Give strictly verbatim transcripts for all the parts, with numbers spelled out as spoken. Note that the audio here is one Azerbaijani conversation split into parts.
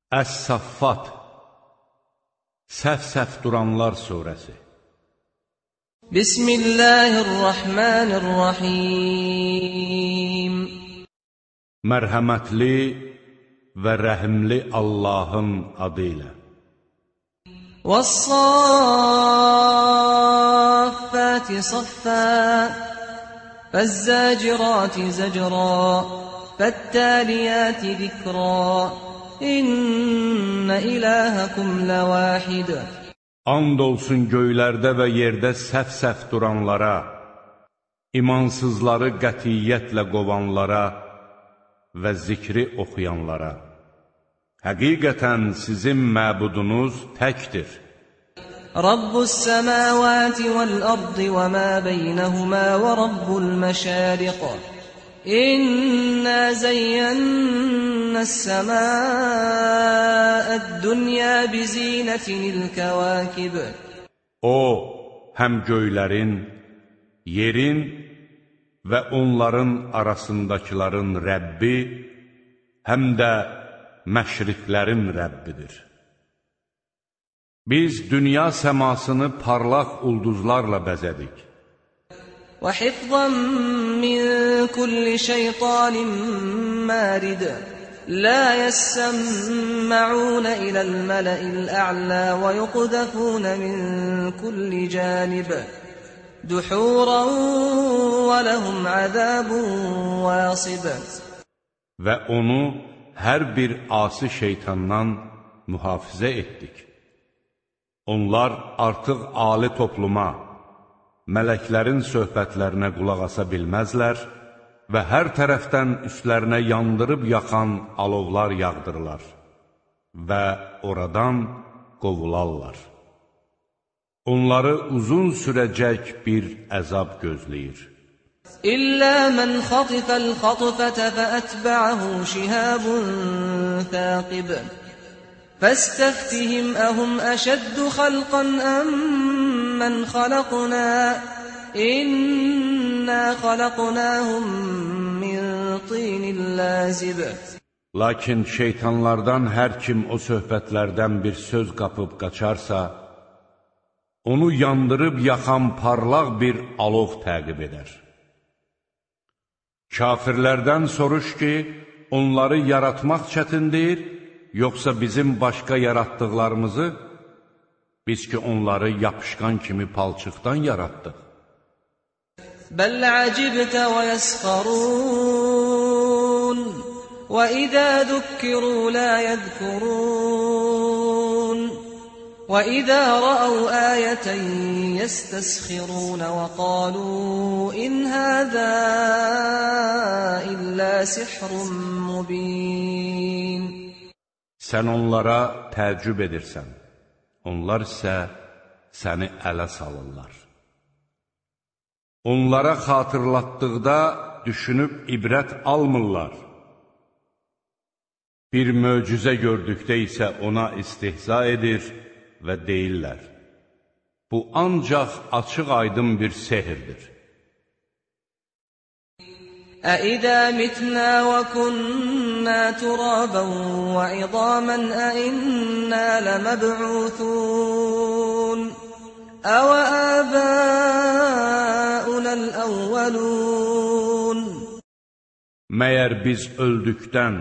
Əs-Saffat, Səf-səf duranlar surəsi. Bismillahirrahmanirrahim. Mərhəmətli və rəhimli Allahın adı ilə. وَالصَّافَّاتِ صَفًّا فَالزَّاجِرَاتِ زَجْرًا فَالتَّالِيَاتِ ذِكْرًا İnne ilahakum levahid. And olsun göylərdə və yerdə səf-səf duranlara, imansızları qətiyyətlə qovanlara və zikri oxuyanlara. Həqiqətən sizin məbudunuz təkdir. Rabbus semavati vel ardı və ma beynəhuma və rabbul məşariq. İnna zeyyennə s-semâ'əd-dünya bizinətinil kəvâkib. O, həm göylərin, yerin və onların arasındakiların Rəbbi, həm də məşriqlərin Rəbbidir. Biz dünya səmasını parlaq ulduzlarla bəzədik. وَحِفْظًا مِّن كُلِّ شَيْطَانٍ مَّارِدٍ لَّا يَسَّمَّعُونَ إِلَى الْمَلَإِ الْأَعْلَى وَيُقْذَفُونَ مِن كُلِّ جَانِبٍ دُحُورًا وَلَهُمْ عَذَابٌ وَاصِبٌ. Və onu hər bir asi şeytandan mühafizə etdik. Onlar artıq ali topluma, mələklərin söhbətlərinə qulaq asa bilməzlər və hər tərəfdən üstlərinə yandırıb yaxan alovlar yağdırırlar və oradan qovularlar. Onları uzun sürəcək bir əzab gözləyir. İllə mən xatifəl xatifətə fəətbə'əhu şihabun thaqib. Fəstəftihim əhum əşəddu xalqan əmmən xalaqna. İnna xalaqnahum min tinin lazib. Lakin şeytanlardan hər kim o söhbətlərdən bir söz qapıb qaçarsa, onu yandırıb yaxan parlaq bir alov təqib edər. Kafirlərdən soruş ki, onları yaratmaq çətindir, yoxsa bizim başqa yaratdıqlarımızı, biz ki onları yapışqan kimi palçıqdan yaratdıq. Bəl əcibtə və yəsxarun və idə zükkiru lə yəzkurun və idə rəəv əyətən yəstəsxirun və qalu in həzə illə sihrun mubin. Sən onlara təəccüb edirsən, onlar isə səni ələ salırlar. Onlara xatırlatdıqda düşünüb ibrət almırlar. Bir möcüzə gördükdə isə ona istihza edir və deyirlər. Bu ancaq açıq aydın bir sehirdir. أَإِذَا مِتْنَا وَكُنَّا تُرَابًا وَعِظَامًا أَإِنَّا لَمَبْعُوثُونَ أَوَآبَاؤُنَا الْأَوَّلُونَ. Məyər biz öldükdən,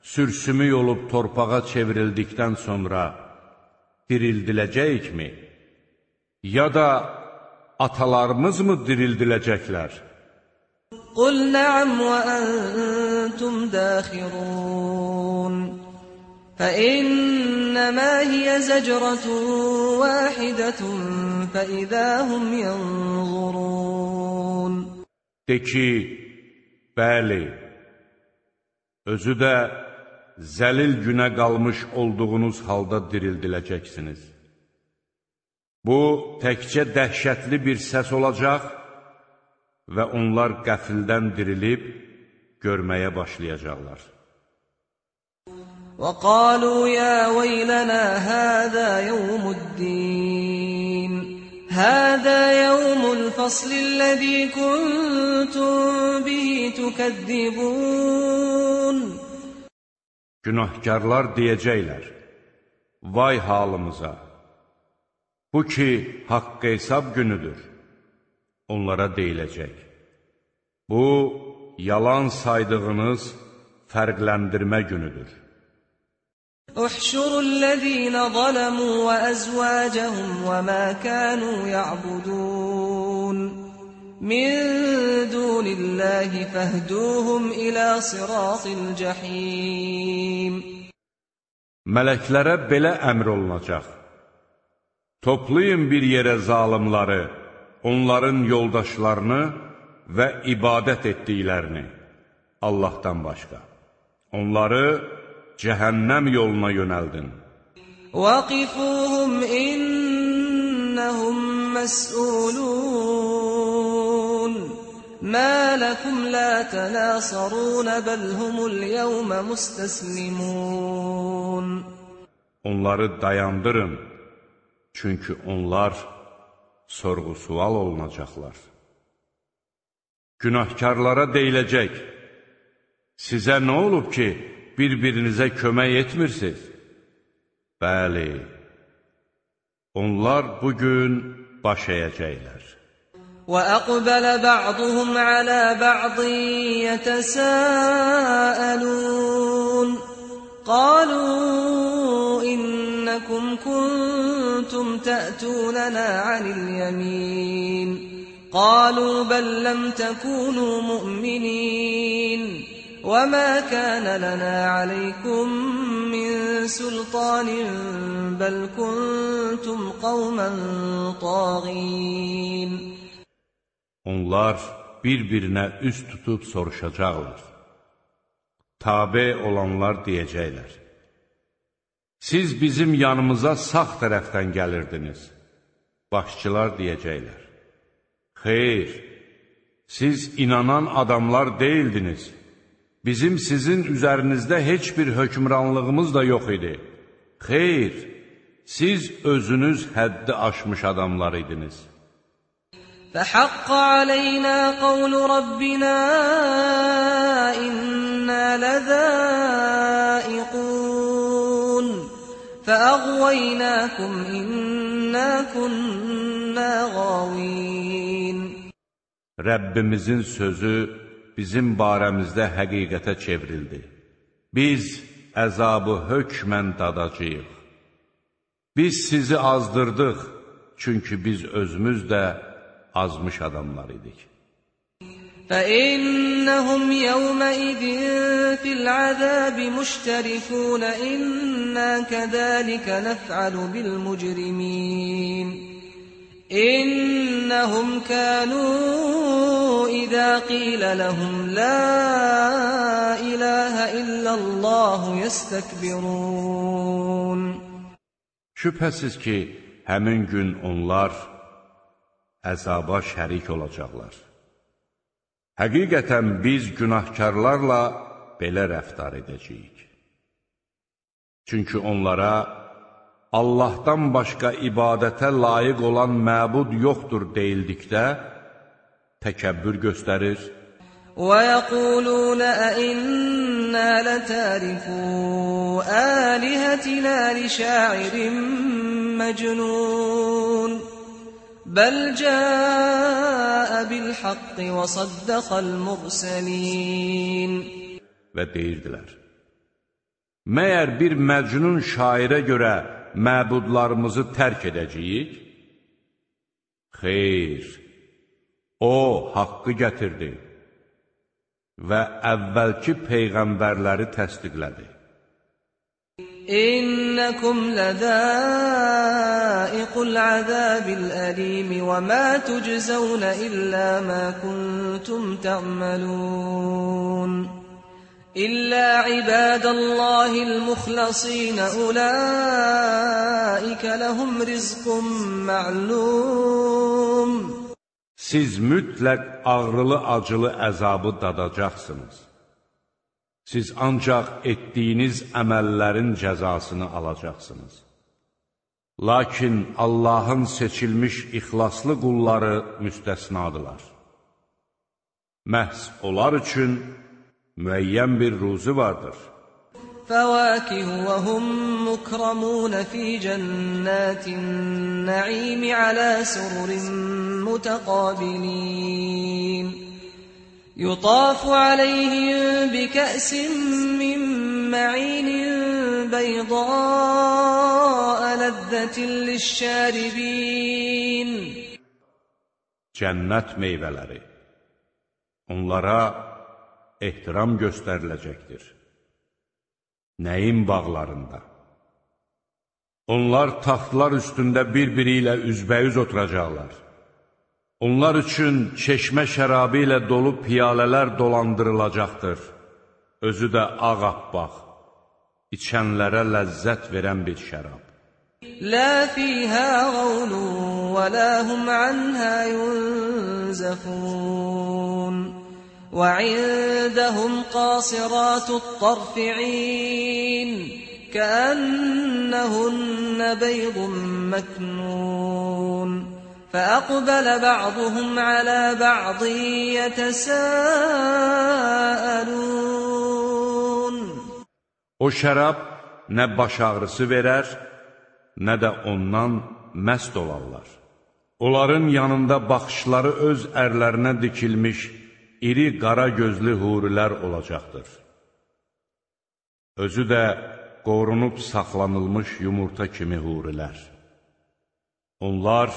sürsümük olub torpağa çevrildikdən sonra dirildiləcəyik mi? Ya da atalarımız mı dirildiləcəklər? قُلْ نَعَمْ وَأَنْتُمْ دَاخِرُونَ فَإِنَّمَا هِيَ زَجْرَةٌ وَاحِدَةٌ فَإِذَا هُمْ يَنْظُرُونَ. De ki, bəli, özü də zəlil günə qalmış olduğunuz halda dirildiləcəksiniz. Bu, təkcə dəhşətli bir səs olacaq və onlar qəfildən dirilib görməyə başlayacaqlar. وَقَالُوا يَا وَيْلَنَا هَذَا يَوْمُ الدِّينِ هَذَا يَوْمُ الْفَصْلِ الَّذِي كُنْتُمْ بِهِ تُكَذِّبُونَ. Günahkarlar deyəcəklər, vay halımıza, bu ki, haqq hesab günüdür, onlara deyiləcək. Bu, yalan saydığınız fərqləndirmə günüdür. احشروا الذين ظلموا وأزواجهم وما كانوا يعبدون من دون الله فاهدوهم إلى صراط الجحيم. Mələklərə belə əmr olunacaq. Toplayın bir yerə zalimları, onların yoldaşlarını və ibadət etdiklərini Allahdan başqa. Onları cəhənnəm yoluna yönəldin. وَقِفُوهُمْ إِنَّهُمْ مَسْئُولُونَ مَا لَكُمْ لَا تَنَاصَرُونَ بَلْ هُمُ الْيَوْمَ مُسْتَسْلِمُونَ. Onları dayandırın, çünki onlar sorğu-sual olunacaqlar. Günahkarlara deyiləcək, sizə nə olub ki, bir-birinizə kömək etmirsiniz? Bəli, onlar bugün baş əyəcəklər. وَأَقْبَلَ بَعْضُهُمْ عَلَى بَعْضٍ يَتَسَاءَلُونَ قَالُوا إِنَّكُمْ كُنتُمْ تَأْتُونَنَا عَنِ الْيَمِينِ قَالُوا بَل لَّمْ تَكُونُوا مُؤْمِنِينَ وَمَا كَانَ لَنَا عَلَيْكُمْ مِنْ سُلْطَانٍ بَلْ كُنْتُمْ قَوْمًا طَاغِينَ. Onlar bir-birinə üz tutub soruşacaqlar. Tabe olanlar deyəcəklər, siz bizim yanımıza sağ tərəfdən gəlirdiniz. Başçılar deyəcəklər, xeyr, siz inanan adamlar deyildiniz. Bizim sizin üzərinizdə heç bir hökmranlığımız da yox idi. Xeyr, siz özünüz həddi aşmış adamlar idiniz. فَحَقَّ عَلَيْنَا قَوْلُ رَبِّنَا إِنَّا لَذَائِقُونَ فَأَغْوَيْنَاكُمْ إِنَّا كُنَّا غَاوِينَ. Rəbbimizin sözü bizim barəmizdə həqiqətə çevrildi. Biz əzabı hökmən dadacağıq. Biz sizi azdırdıq, çünki biz özümüz də azmış adamlar idik. فَإِنَّهُمْ يَوْمَئِذٍ فِي الْعَذَابِ مُشْتَرِكُونَ إِنَّا كَذَلِكَ نَفْعَلُ بِالْمُجْرِمِينَ إِنَّهُمْ كَانُوا إِذَا قِيلَ لَهُمْ لَا إِلَٰهَ إِلَّا اللَّهُ يَسْتَكْبِرُونَ. Şübhəsiz ki, həmin gün onlar əzaba şərik olacaqlar. Həqiqətən biz günahkarlarla belə rəftar edəcəyik. Çünki onlara Allahdan başqa ibadətə layiq olan məbud yoxdur deyildikdə təkəbbür göstərir. وَيَقُولُونَ أَإِنَّا لَتَارِكُو آلِهَتِنَا لِشَاعِرٍ مَجْنُونَ بَلْ جَاءَ بِالْحَقِّ وَصَدَّقَ الْمُرْسَلِينَ. Və deyirdilər, məyər bir məcnun şairə görə məbudlarımızı tərk edəcəyik? Xeyr, o haqqı gətirdi və əvvəlki peyğəmbərləri təsdiqlədi. إِنَّكُمْ لَذَائِقُو الْعَذَابِ الْأَلِيمِ وَمَا تُجْزَوْنَ إِلَّا مَا كُنتُمْ تَعْمَلُونَ إِلَّا عِبَادَ اللَّهِ الْمُخْلَصِينَ أُولَٰئِكَ لَهُمْ رِزْقٌ مَعْلُومٌ. Siz mütləq ağrılı-acılı əzabı dadacaqsınız. Siz ancaq etdiyiniz əməllərin cəzasını alacaqsınız. Lakin Allahın seçilmiş ixlaslı qulları müstəsnadılar. Məhz onlar üçün müəyyən bir ruzu vardır. فواكه وهم مكرمون في جنات النعيم على سرر متقابلين يطاف عليهم بكأس من معين بيضاء لذة للشاربين. Cənnət meyvələri onlara ehtiram göstəriləcəkdir. Nəyin bağlarında? Onlar taxtlar üstündə bir-biri ilə üzbəyüz oturacaqlar. Onlar üçün çeşmə şərabı ilə dolu piyalələr dolandırılacaqdır. Özü də ağappaq, içənlərə ləzzət verən bir şərab. لا فيها غول ولا هم عنها ينزفون وعندهم قاصرات الطرف عين كأنهن بيض مكنون فأقبل بعضهم على بعض يتساءلون. O şərab nə baş ağrısı verər, nə də ondan məst olarlar. Onların yanında baxışları öz ərlərinə dikilmiş iri qara gözlü hurilər olacaqdır. Özü də qorunub saxlanılmış yumurta kimi hurilər. Onlar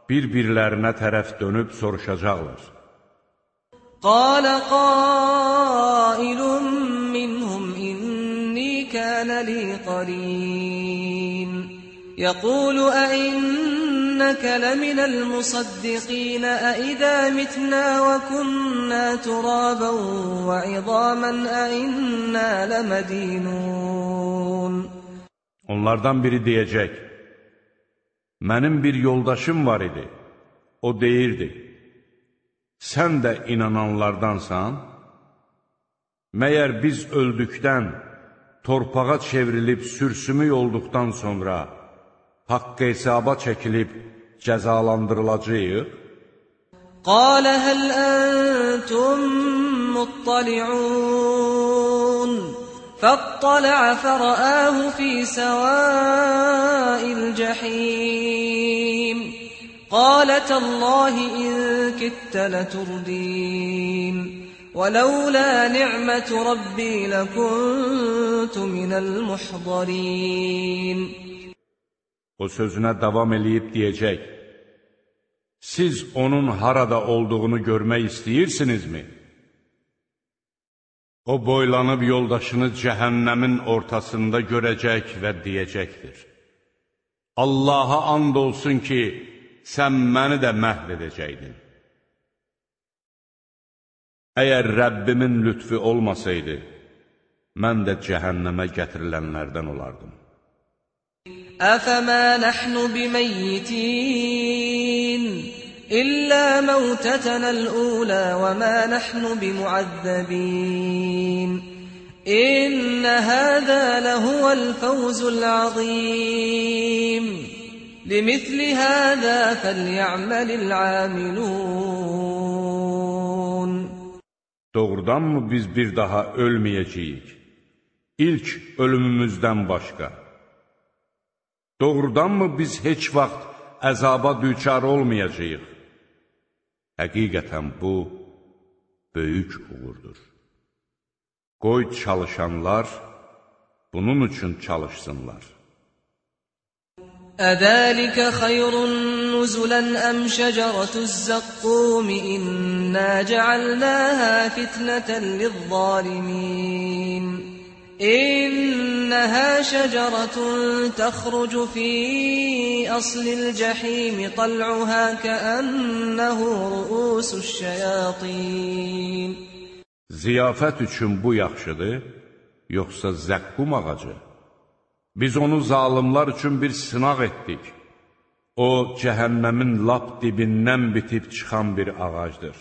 bir-birlərinə tərəf dönüb soruşacaqlar. قال قائل منهم إني كان لي قرين يقول أئنك لمن المصدقين أئذا متنا وكنا ترابا وعظاما أئنا لمدينون. Onlardan biri deyəcək, mənim bir yoldaşım var idi, o deyirdi, sən də inananlardansan, məyər biz öldükdən, torpağa çevrilib sürsümük olduqdan sonra, haqq hesaba çəkilib cəzalandırılacağıq? قال هل أنتم مطلعون فاطلع فرآه في سواء الجحيم قال تالله إن كدت لتردين ولولا نعمة ربي لكنت من المحضرين. O sözünə davam eləyib deyəcək, siz onun harada olduğunu görmək istəyirsinizmi? O boylanıb yoldaşını cəhənnəmin ortasında görəcək və deyəcəkdir. Allaha and olsun ki, sən məni də məhv edəcəkdin. Əgər Rəbbimin lütfi olmasaydı, mən də cəhənnəmə gətirilənlərdən olardım. أفما نحن بميتين إلا موتتنا الأولى وما نحن بمعذبين إن هذا لهو الفوز العظيم لمثل هذا فليعمل العاملون. Doğrudanmı biz bir daha ölməyəcəyik? İlk ölümümüzdən başqa. Doğrudanmı biz heç vaxt əzaba düçar olmayacağıq? Həqiqətən bu, böyük uğurdur. Qoy çalışanlar bunun üçün çalışsınlar. أذلك خير نزلا أم شجرة الزقوم إنا جعلناها فتنة للظالمين إنها شجرة تخرج في أصل الجحيم طلعها كأنه رؤوس الشياطين. Ziyafət üçün bu yaxşıdır, yoxsa zəqqum ağacı? Biz onu zalimlar üçün bir sınaq etdik. O, cəhənnəmin lap dibindən bitib çıxan bir ağacdır.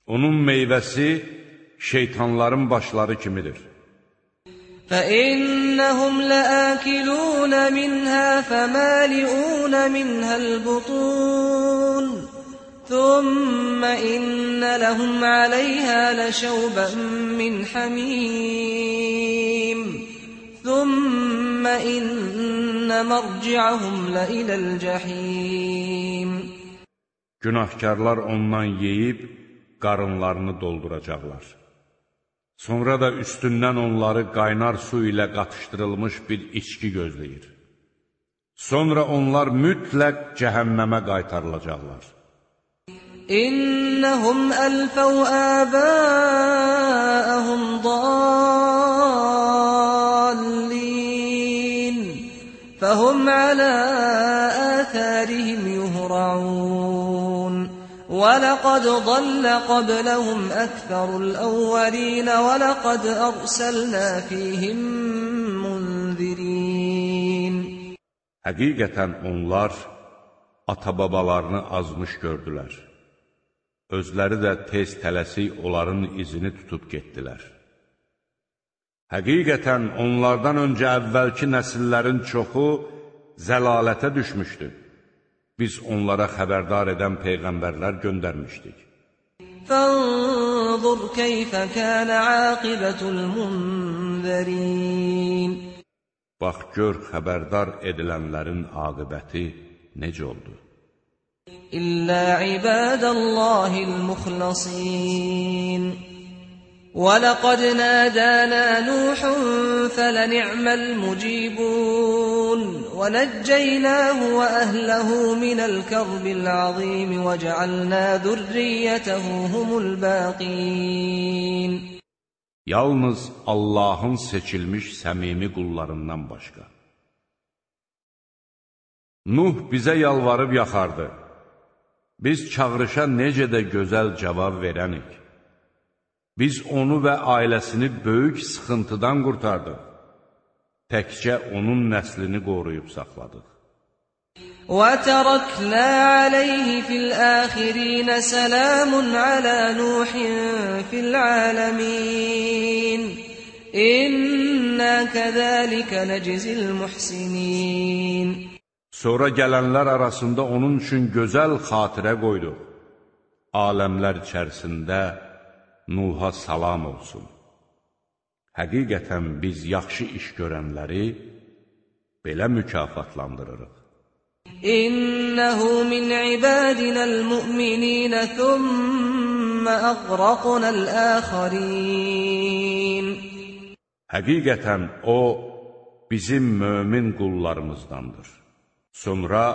Onun meyvəsi şeytanların başları kimidir. فإنهم لآكلون منها فمالئون منها البطون ثم إن لهم عليها لشوبا من حميم ثم إن مرجعهم لإلى الجحيم. Günahkarlar ondan yeyib qarınlarını dolduracaqlar. Sonra da üstündən onları qaynar su ilə qatışdırılmış bir içki gözləyir. Sonra onlar mütləq cəhənnəmə qaytarılacaqlar. İnnəhum əlfəv əbəəhum dallin fəhum alə āthārihim yuhra'un وَلَقَدْ ضَلَّ قَبْلَهُمْ أَكْثَرُ الْأَوَّلِينَ وَلَقَدْ أَرْسَلْنَا فِيهِمْ مُنذِرِينَ. Həqiqətən onlar ata-babalarını azmış gördülər. Özləri də tez tələsik onların izini tutub getdilər. Həqiqətən onlardan öncə əvvəlki nəsillərin çoxu zəlalətə düşmüşdü. Biz onlara xəbərdar edən peyğəmbərlər göndərmişdik. فَانظُرْ كَيْفَ كَانَ عَاقِبَةُ الْمُنذَرِينَ. Bax, gör xəbərdar edilənlərin aqibəti necə oldu? İllə ibadəllahil muxlasin. وَلَقَدْ نَادَانَا نُوحٌ فَلَنِعْمَ الْمُجِيبُونَ وَنَجَّيْنَاهُ وَأَهْلَهُ مِنَ الْكَرْبِ الْعَظِيمِ وَجَعَلْنَا ذُرِّيَّتَهُ هُمُ الْبَاقِينَ. Yalnız Allahın seçilmiş səmimi qullarından başqa. Nuh bizə yalvarıb yaxardı. Biz çağırışa necə də gözəl cavab verənik. Biz onu və ailəsini böyük sıxıntıdan qurtardıq. Təkcə onun nəslini qoruyub saxladıq. وَتَرَكْنَا عَلَيْهِ فِي الْآخِرِينَ سَلَامٌ عَلَى نُوحٍ فِي الْعَالَمِينَ إِنَّا كَذَلِكَ نَجْزِي الْمُحْسِنِينَ. Sonra gələnlər arasında onun üçün gözəl xatirə qoyduq. Aləmlər içərisində Nuh'a salam olsun. Həqiqətən biz yaxşı iş görənləri belə mükafatlandırırıq. İnnehu min ibadinal mu'minin thumma aghraqnal akharin. Həqiqətən o bizim mömin qullarımızdandır. Sonra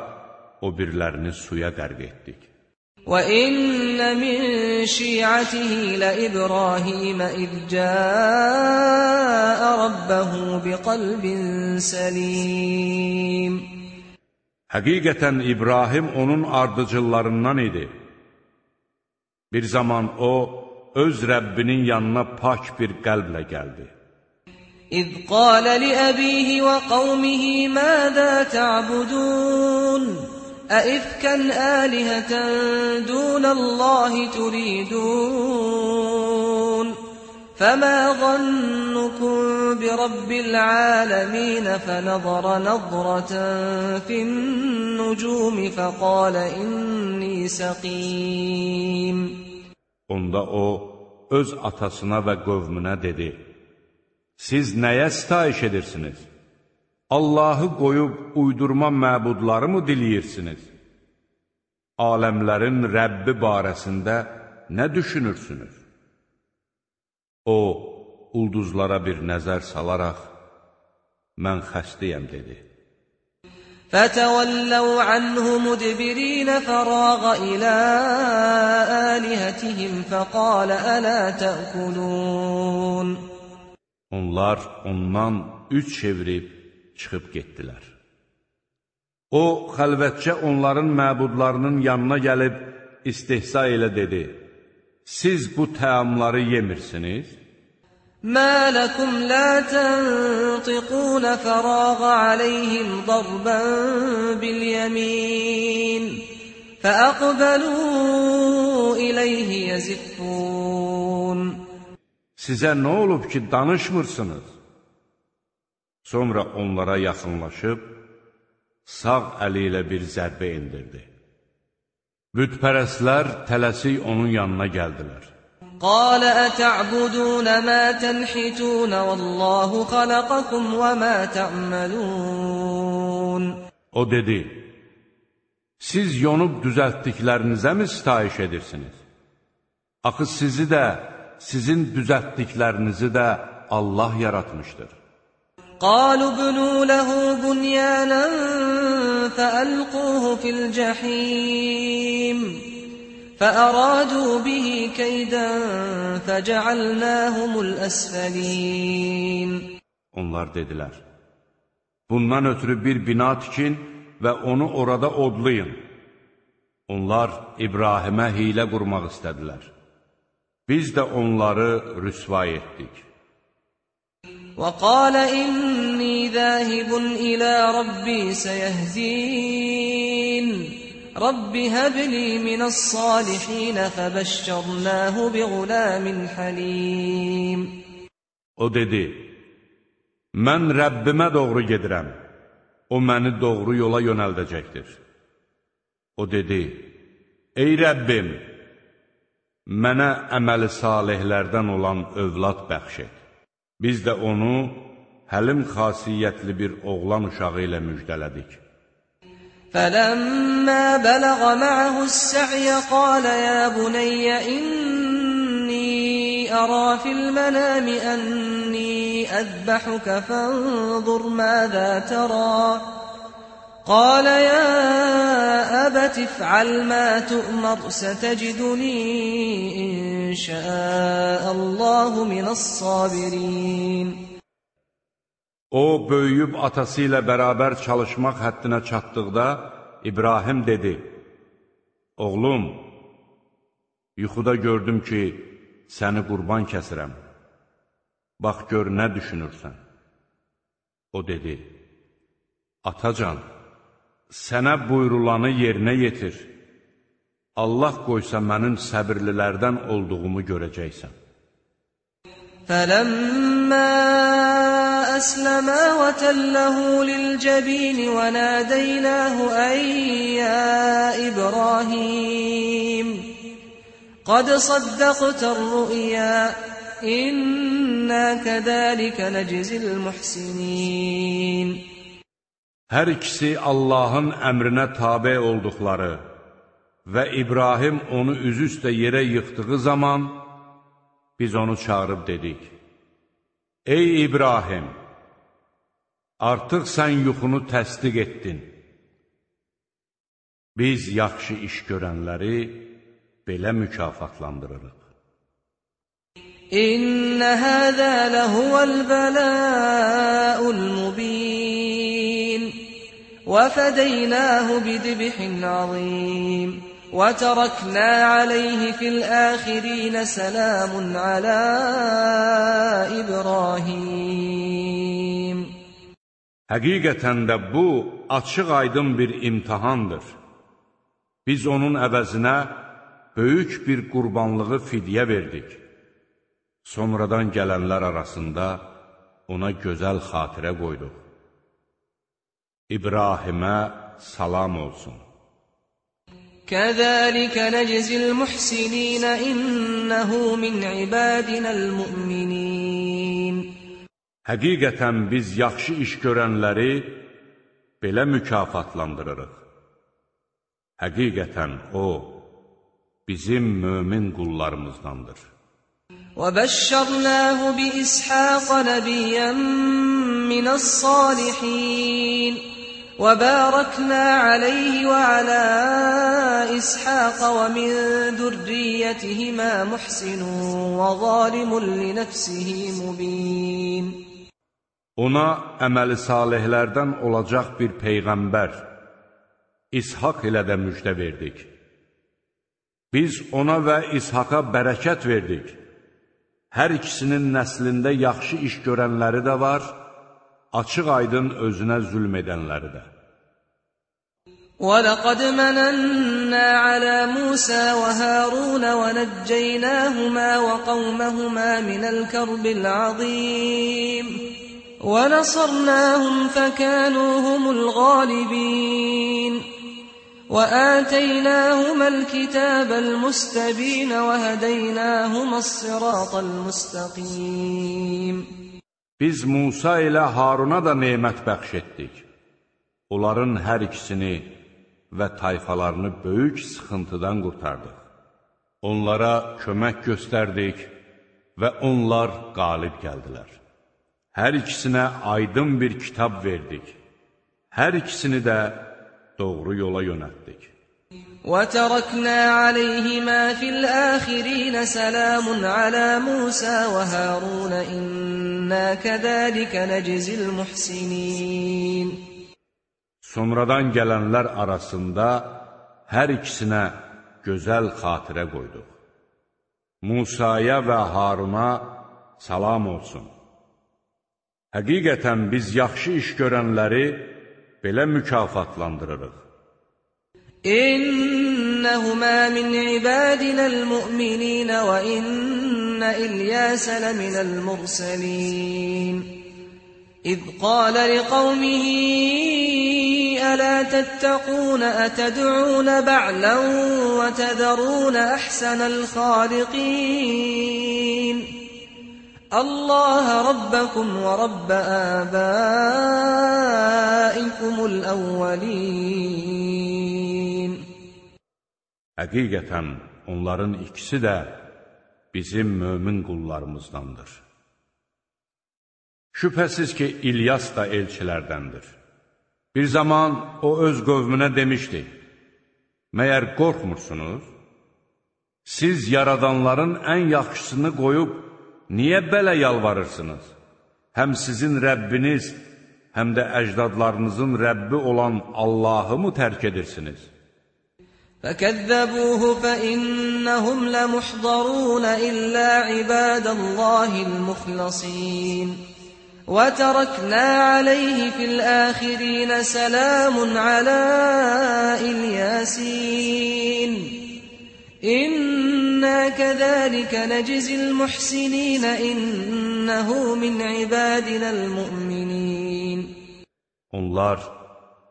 o birlərini suya qərq etdik. وَإِنَّ مِنْ شِيعَتِهِ لَإِبْرَاهِيمَ إِذْ جَاءَ رَبَّهُ بِقَلْبٍ سَلِيمٍ. Həqiqətən İbrahim onun ardıcıllarından idi. Bir zaman o, öz Rəbbinin yanına pak bir qəlblə gəldi. إِذْ قَالَ لِأَبِيهِ وَقَوْمِهِ مَاذَا تَعْبُدُونَ أَئِفْكًا آلِهَةً دُونَ اللَّهِ تُرِيدُونَ فَمَا ظَنُّكُمْ بِرَبِّ الْعَالَمِينَ فَنَظَرَ نَظْرَةً فِي النُّجُومِ فَقَالَ إِنِّي سَقِيمٌ. Onda o, öz atasına və qövmünə dedi: Siz nəyə sitayiş edirsiniz? Allahı qoyub uydurma məbudları mı diləyirsiniz? Aləmlərin Rəbbi barəsində nə düşünürsünüz? O, ulduzlara bir nəzər salaraq, mən xəstəyəm, dedi. فَتَوَلَّوْا عَنْهُ مُدْبِرِينَ فَرَاغَ إِلَى آلِهَتِهِمْ فَقَالَ أَلَا تَأْكُلُونَ. Onlar ondan üç çevirib çıxıb getdilər. O, xəlvətcə onların məbudlarının yanına gəlib istehza ilə dedi: Siz bu təamları yemirsiniz? مَا لَكُمْ لَا تَنْطِقُونَ فَرَاغَ عَلَيْهِمْ ضَرْبًا بِالْيَمِينِ فَأَقْبَلُوا إِلَيْهِ يَزِفُّونَ. Sizə nə olub ki, danışmırsınız? Sonra onlara yaxınlaşıb, sağ əli ilə bir zərbə indirdi. Bütpərəstlər tələsik onun yanına gəldilər. قال أتعبدون ما تنحتون والله خلقكم وما تعملون. O dedi, siz yonub düzəltdiklərinizə mi sitayiş edirsiniz? Axı sizi də, sizin düzəltdiklərinizi də Allah yaratmışdır. قالوا ابنوا له بنيانا فألقوه في الجحيم فأرادوا به كيدا فجعلناهم الأسفلين. Onlar dedilər, bundan ötürü bir bina tikin və onu orada odlayın. Onlar İbrahimə hilə qurmaq istədilər. Biz də onları rüsvay etdik. وقال إني ذاهب إلى ربي سيهدين رب هب لي من الصالحين فبشرناه بغلام حليم. O dedi, mən Rəbbimə doğru gedirəm, o məni doğru yola yönəldəcəkdir. O dedi, ey Rəbbim, mənə əməli salihlərdən olan övlad bəxş et. Biz də onu həlim xasiyyətli bir oğlan uşağı ilə müjdələdik. فَلَمَّا بَلَغَ مَعَهُ السَّعْيَ قَالَ يَا بُنَيَّ إِنِّي أَرَى فِي الْمَنَامِ أَنِّي أَذْبَحُكَ فَانظُرْ مَاذَا تَرَى قَالَ يَا أَبَتِ افْعَلْ مَا تُؤْمَرُ سَتَجِدُنِي إِن شَاءَ اللَّهُ مِنَ الصَّابِرِينَ. O, böyüyüb atası ilə bərabər çalışmaq həddinə çatdıqda, İbrahim dedi, oğlum, yuxuda gördüm ki, səni qurban kəsirəm. Bax, gör, nə düşünürsən? O dedi, atacan, sənə buyrulanı yerinə yetir. Allah qoysa mənim səbirlilərdən olduğumu görəcəksən. فَلَمَّا أَسْلَمَا وَتَلَّهُ لِلْجَبِينِ وَنَادَيْنَاهُ أَن يَا إِبْرَاهِيمُ قَدْ صَدَّقْتَ الرُّؤْيَا إِنَّا كَذَلِكَ نَجْزِي الْمُحْسِنِينَ. Hər ikisi Allahın əmrinə tabe olduqları və İbrahim onu üzüstə yerə yıxdığı zaman biz onu çağırıb dedik, ey İbrahim, artıq sən yuxunu təsdiq etdin. Biz yaxşı iş görənləri belə mükafatlandırırıq. İnnə həzə ləhuvəl bələ'ul mubin və fədəynəhu bidibhin azim və tərəknə aleyhi fil əxirin sələmun alə İbrahim. Həqiqətən də bu, açıq aydın bir imtihandır. Biz onun əvəzinə böyük bir qurbanlığı fidyə verdik. Sonradan gələnlər arasında ona gözəl xatirə qoyduq. İbrahimə salam olsun. Kəzəlikə nəczil muhsinina innəhu min ibadinəl mu'minin. Həqiqətən biz yaxşı iş görənləri belə mükafatlandırırıq. Həqiqətən o, bizim mömin qullarımızdandır. وَبَشَّرْنَاهُ بِإِسْحَاقَ نَبِيًّا مِنَ الصَّالِحِينَ وَبَارَكْنَا عَلَيْهِ وَعَلَى إِسْحَاقَ وَمِنْ ذُرِّيَّتِهِمَا مُحْسِنٌ وَظَالِمٌ لِنَفْسِهِ مُبِينٌ. Ona əməli salihlərdən olacaq bir peyğəmbər, İshak ilə də müjdə verdik. Biz ona və İshaqa bərəkət verdik. Hər ikisinin nəslində yaxşı iş görənləri də var, açıq aydın özünə zülm edənləri də. وَلَقَدْ مَنَنَّا عَلَى مُوسَى وَهَارُونَ وَنَجَّيْنَاهُمَا وَقَوْمَهُمَا مِنَ الْكَرْبِ الْعَظِيمِ وَنَصَرْنَاهُمْ فَكَانُوا هُمُ الْغَالِبِينَ. وآتيناهما الكتاب المستبين وهديناهما الصراط المستقيم. Biz Musa ilə Haruna da nemət bəxş etdik. Onların hər ikisini və tayfalarını böyük sıxıntıdan qurtardıq. Onlara kömək göstərdik və onlar qalib gəldilər. Hər ikisinə aydın bir kitab verdik. Hər ikisini də doğru yola yönəltdik. وَتَرَكْنَا عَلَيْهِمَا فِي الْآخِرِينَ سَلَامٌ عَلَى مُوسَى وَهَارُونَ إِنَّا كَذَلِكَ نَجْزِي الْمُحْسِنِينَ. Sonradan gələnlər arasında hər ikisinə gözəl xatirə qoyduq. Musaya və Haruna salam olsun. Həqiqətən biz yaxşı iş görənləri belə mükafatlandırırıq. İnnəhumā min ibadinəl mu'minīn və innə İlyāsə ləminəl mursəlīn. İz qālə liqawmihi əlā təttəqūn ətəd'ūn ba'lan və tədərūn əhsənəl xāliqīn. Allah Rabbakum və Rabb ābāikumul əvvəlin. Həqiqətən onların ikisi də bizim mömin qullarımızdandır. Şübhəsiz ki, İlyas da elçilərdəndir. Bir zaman o öz qövmünə demişdi, məyər qorxmursunuz? Siz yaradanların ən yaxşısını qoyub, niyə belə yalvarırsınız? Həm sizin Rəbbiniz, həm də əcdadlarınızın Rəbbi olan Allahı mı tərk edirsiniz? فَكَذَّبُوهُ فَإِنَّهُمْ لَمُحْضَرُونَ إِلَّا عِبَادَ اللَّهِ الْمُخْلَصِينَ. وَتَرَكْنَا عَلَيْهِ فِي الْآخِرِينَ سَلَامٌ عَلَى إِلْيَاسِينَ إِنَّا كَذَلِكَ نَجْزِي الْمُحْسِنِينَ إِنَّهُ مِنْ عِبَادِنَا الْمُؤْمِنِينَ. Onlar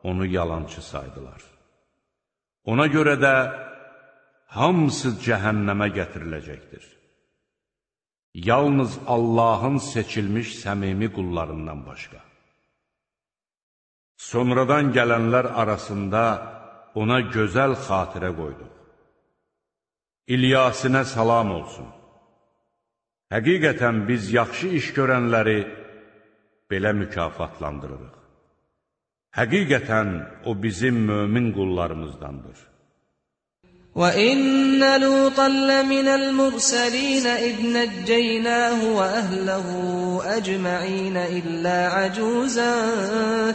onu yalancı saydılar. Ona görə də hamısı cəhənnəmə gətiriləcəkdir. Yalnız Allahın seçilmiş səmimi qullarından başqa. Sonradan gələnlər arasında ona gözəl xatirə qoyduq. İlyasinə salam olsun. Həqiqətən biz yaxşı iş görənləri belə mükafatlandırırıq. Həqiqətən o bizim mömin qullarımızdandır. وَإِنَّ لُوطًا لَّمِنَ الْمُرْسَلِينَ إِذْ نَجَّيْنَاهُ وَأَهْلَهُ أَجْمَعِينَ إِلَّا عَجُوزًا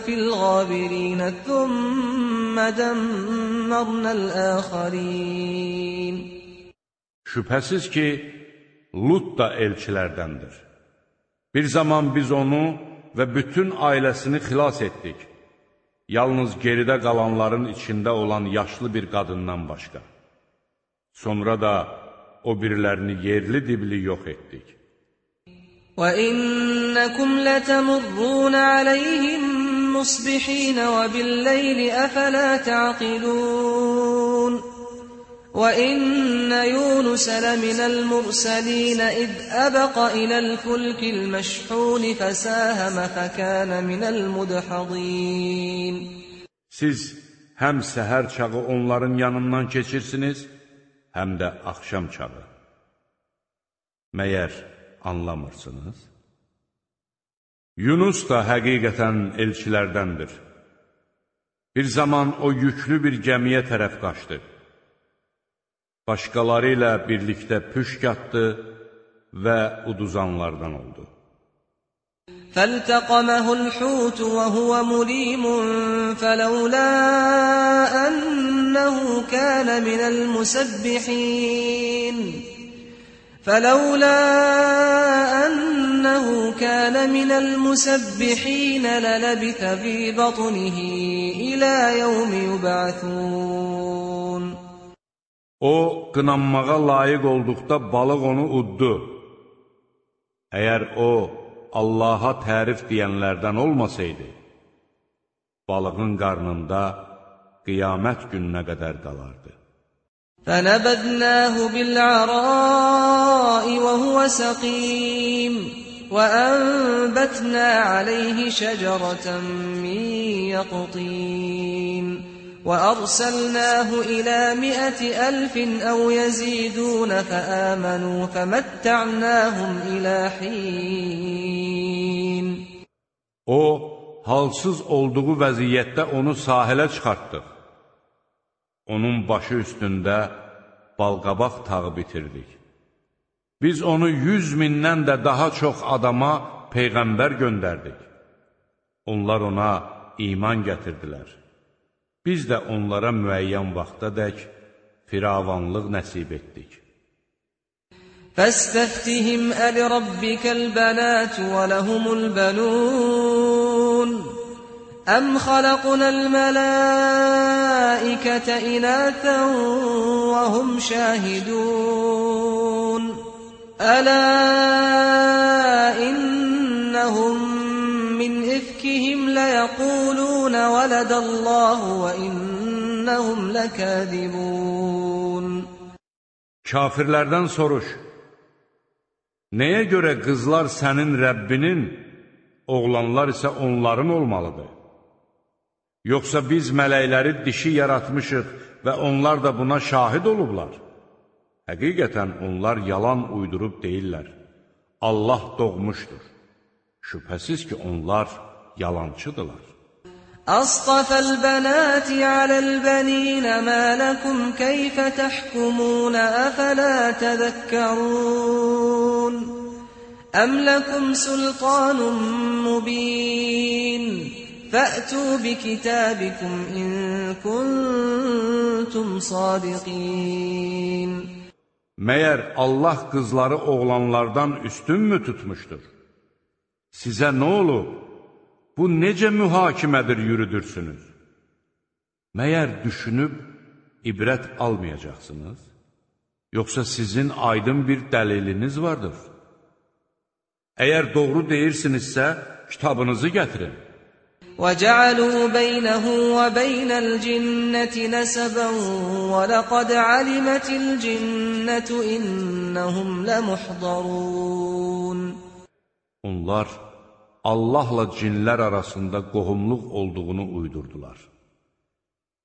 فِي الْغَابِرِينَ ثُمَّ دَمَّرْنَا الْآخَرِينَ. Şübhəsiz ki, Lut da elçilərdəndir. Bir zaman biz onu və bütün ailəsini xilas etdik. Yalnız geridə qalanların içində olan yaşlı bir qadından başqa. Sonra da o birilərini yerli dibli yox etdik. وَإِنَّكُمْ لَتَمُرُّونَ عَلَيْهِمْ مُصْبِحِينَ وَبِاللَّيْلِ أَفَلَا تَعْقِلُونَ وَإِنَّ يُونُسَ لَمِنَ الْمُرْسَلِينَ إِذْ أَبَقَ إِلَى الْفُلْكِ الْمَشْحُونِ فَسَاهَمَ فَكَانَ مِنَ الْمُدْحَضِينَ. Siz həm səhər çağı onların yanından keçirsiniz, həm də axşam çağı. Məyər anlamırsınız? Yunus da həqiqətən elçilərdəndir. Bir zaman o yüklü bir gəmiyə tərəf qaçdı. Başqaları ilə birlikdə püşk atdı və uduzanlardan oldu. فَالْتَقَمَهُ الْحُوتُ وَهُوَ مُلِيمٌ فَلَوْلَا أَنَّهُ كَانَ مِنَ الْمُسَبِّحِينَ فَلَوْلَا أَنَّهُ كَانَ مِنَ الْمُسَبِّحِينَ لَلَبِثَ فِي بَطْنِهِ إِلَى يَوْمِ يُبْعَثُونَ. O, qınanmağa layiq olduqda balıq onu uddu. Əgər o, Allaha tərif deyənlərdən olmasaydı, balığın qarnında qiyamət gününə qədər qalardı. فَنَبَذْنَاهُ بِالْعَرَاءِ وَهُوَ سَقِيمٌ وَأَنبَتْنَا عَلَيْهِ شَجَرَةً مِّن يَقْطِينٍ وَأَرْسَلْنَاهُ إِلَى مِائَةِ أَلْفٍ أَوْ يَزِيدُونَ فَآمَنُوا فَمَتَّعْنَاهُمْ إِلَى حِينٍ. O, halsız olduğu vəziyyətdə onu sahilə çıxartdıq. Onun başı üstündə balqabaq tağı bitirdik. Biz onu yüz mindən də daha çox adama peyğəmbər göndərdik. Onlar ona iman gətirdilər. Biz də onlara müəyyən vaxtadək firavanlıq nəsib etdik. فَاسْتَفْتِهِمْ أَلِرَبِّكَ الْبَنَاتُ وَلَهُمُ الْبَنُونَ أَمْ خَلَقْنَا الْمَلَائِكَةَ إِنَاثًا وَهُمْ شَاهِدُونَ أَلَا إِنَّهُمْ مِنْ إِفْكِهِمْ لَيَقُولُونَ وَلَدَ اللَّهُ وَإِنَّهُمْ لَكَاذِبُونَ. Kafirlərdən soruş, nəyə görə qızlar sənin Rəbbinin, oğlanlar isə onların olmalıdır? Yoxsa biz mələkləri dişi yaratmışıq və onlar da buna şahid olublar? Həqiqətən onlar yalan uydurub deyirlər. Allah doğmuşdur. Şübhəsiz ki, onlar yalancıdırlar. أَصْطَفَى الْبَنَاتِ عَلَى الْبَنِينَ مَا لَكُمْ كَيْفَ تَحْكُمُونَ أَفَلَا تَذَكَّرُونَ أَمْ لَكُمْ سُلْطَانٌ مُّبِينٌ فَأْتُوا بِكِتَابِكُمْ إِن كُنتُمْ صَادِقِينَ. Məyər Allah qızları oğlanlardan üstünmü tutmuşdur? Sizə nə olub? Bu necə mühakimədir yürüdürsünüz? Məyər düşünüb ibrət almayacaqsınız? Yoxsa sizin aydın bir dəliliniz vardır? Əgər doğru deyirsinizsə, kitabınızı gətirin. وَجَعَلُوا بَيْنَهُ وَبَيْنَ الْجِنَّةِ نَسَبًا وَلَقَدْ عَلِمَتِ الْجِنَّةُ إِنَّهُمْ لَمُحْضَرُونَ. Onlar Allahla cinlər arasında qohumluq olduğunu uydurdular.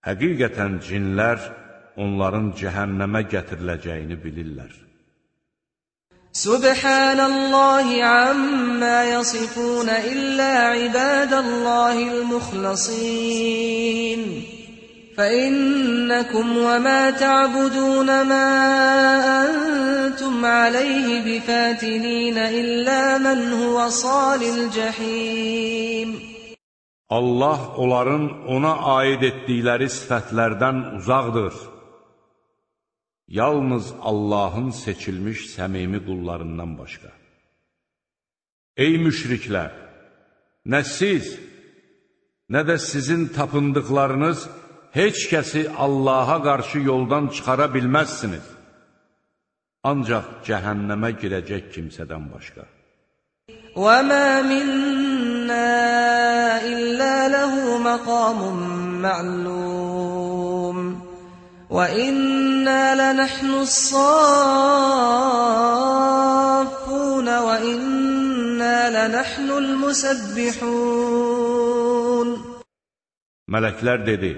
Həqiqətən cinlər onların cəhənnəmə gətiriləcəyini bilirlər. Subhanallahi amma yasifun illa ibadallahil mukhlasin. فإنكم وما تعبدون ما أنتم عليه بفاتنين إلا من هو صال الجحيم. Allah onların ona aid etdikləri sifətlərdən uzaqdır. Yalnız Allahın seçilmiş səmimi qullarından başqa. Ey müşriklər! Nə siz, nə də sizin tapındıqlarınız heç kəsi Allaha qarşı yoldan çıxara bilməzsiniz. Ancaq cəhənnəmə girəcək kimsədən başqa. وَمَا مِنَّا إِلَّا لَهُ مَقَامٌ مَّعْلُومٌ وَإِنَّا لَنَحْنُ الصَّافُّونَ وَإِنَّا لَنَحْنُ الْمُسَبِّحُونَ. Mələklər dedi,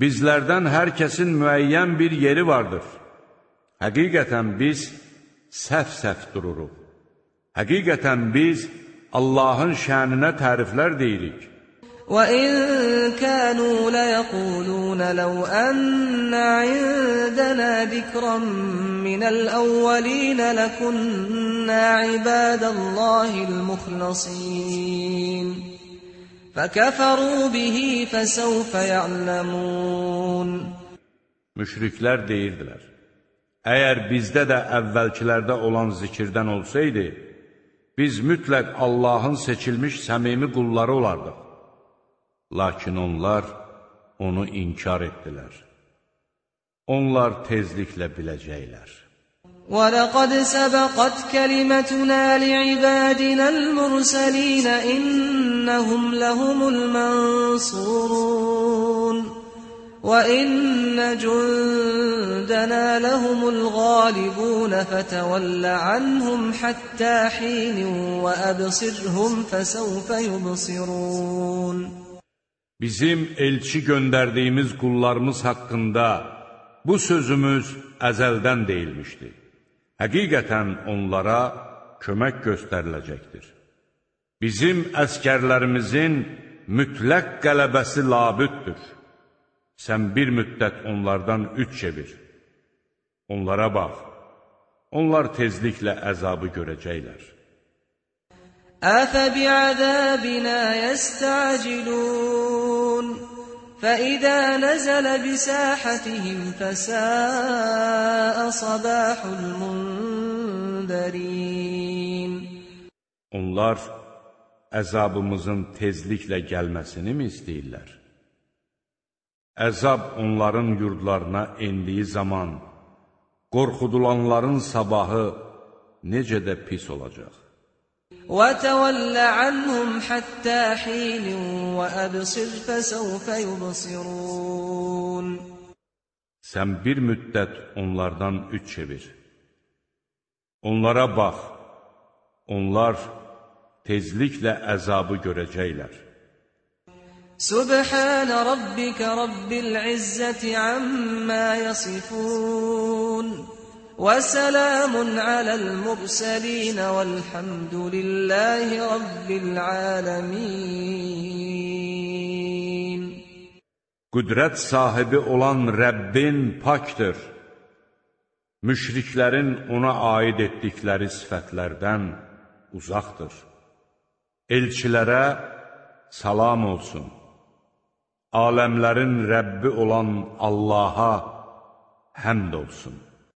bizlərdən hər kəsin müəyyən bir yeri vardır. Həqiqətən biz səf-səf dururuq. Həqiqətən biz Allahın şəninə təriflər deyirik. وَإِن كَانُوا لَيَقُولُونَ لَوْ أَنَّ عِندَنَا ذِكْرًا مِّنَ الْأَوَّلِينَ لَكُنَّا عِبَادَ اللَّهِ الْمُخْلَصِينَ فَكَفَرُوا بِهِ فَسَوْفَ يَعْلَمُونَ. Müşriklər deyirdilər, əgər bizdə də əvvəlkilərdə olan zikirdən olsaydı, biz mütləq Allahın seçilmiş səmimi qulları olardıq. Lakin onlar onu inkar etdilər. Onlar tezliklə biləcəklər. وَلَقَدْ سَبَقَتْ كَلِمَتُنَا لِعِبَادِنَا الْمُرْسَلِينَ إِنَّهُمْ لَهُمُ الْمَنصُورُونَ. وَإِنَّ جُندَنَا لَهُمُ الْغَالِبُونَ فَتَوَلَّ عَنْهُمْ حَتَّى حِينٍ وَأَبْصِرْهُمْ فَسَوْفَ يُبْصِرُونَ. Bizim elçi göndərdiyimiz qullarımız haqqında bu sözümüz əzəldən deyilmişdi. Həqiqətən onlara kömək göstəriləcəkdir. Bizim əskərlərimizin mütləq qələbəsi labüddür. Sən bir müddət onlardan üç çevir. Onlara bax, onlar tezliklə əzabı görəcəklər. أَفَبِعَذَابِنَا يَسْتَعْجِلُونَ فَإِذَا نَزَلَ بِسَاحَتِهِمْ فَسَاءَ صَبَاحُ الْمُنذَرِينَ. Onlar əzabımızın tezliklə gəlməsini mi istəyirlər? Əzab onların yurdlarına endiyi zaman qorxudulanların sabahı necə də pis olacaq. وَتَوَلَّ عَنْهُمْ حَتَّى حِينٍ وَأَبْصِرْ فَسَوْفَ يُبْصِرُونَ. Sən bir müddət onlardan üç çevir. Onlara bax, onlar tezliklə əzabı görəcəklər. سبحان ربك رب العزة عما يصفون وسلام على المرسلين والحمد لله رب العالمين. Qüdrət sahibi olan Rəbbin pakdır. Müşriklərin ona aid etdikləri sifətlərdən uzaqdır. Elçilərə salam olsun. Aləmlərin Rəbbi olan Allaha həmd olsun.